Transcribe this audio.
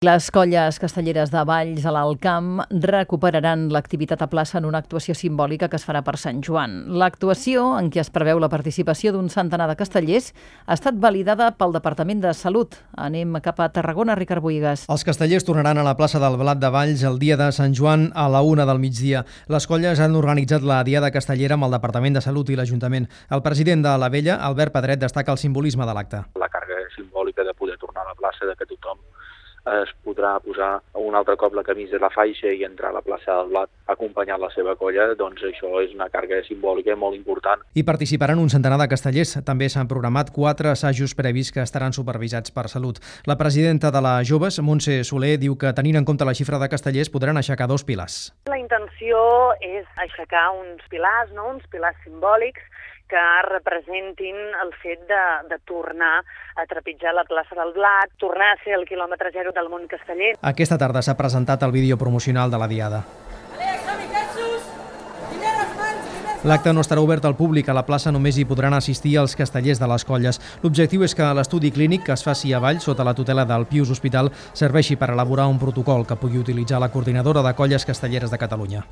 Les colles castelleres de Valls a l'Alt Camp recuperaran l'activitat a plaça en una actuació simbòlica que es farà per Sant Joan. L'actuació, en què es preveu la participació d'un centenar de castellers, ha estat validada pel Departament de Salut. Anem cap a Tarragona, Ricard Bohigas. Els castellers tornaran a la plaça del Blat de Valls el dia de Sant Joan a la 1 del migdia. Les colles han organitzat la Diada Castellera amb el Departament de Salut i l'Ajuntament. El president de la Vella, Albert Pedret, destaca el simbolisme de l'acte. La càrrega simbòlica de poder tornar a la plaça, de que tothom es podrà posar un altre cop la camisa i la faixa i entrar a la plaça del Blat acompanyant la seva colla, doncs això és una càrrega simbòlica molt important. Hi participaran un centenar de castellers. També s'han programat 4 assajos previs que estaran supervisats per Salut. La presidenta de la Joves, Montse Soler, diu que tenint en compte la xifra de castellers podran aixecar 2 pilars. La intenció és aixecar uns pilars, uns pilars simbòlics que representin el fet de tornar a trepitjar la plaça del Blat, tornar a ser el quilòmetre zero del món casteller. Aquesta tarda s'ha presentat el vídeo promocional de la Diada. L'acte no estarà obert al públic. A la plaça només hi podran assistir els castellers de les colles. L'objectiu és que l'estudi clínic que es faci a Valls sota la tutela del Pius Hospital serveixi per elaborar un protocol que pugui utilitzar la Coordinadora de Colles Castelleres de Catalunya.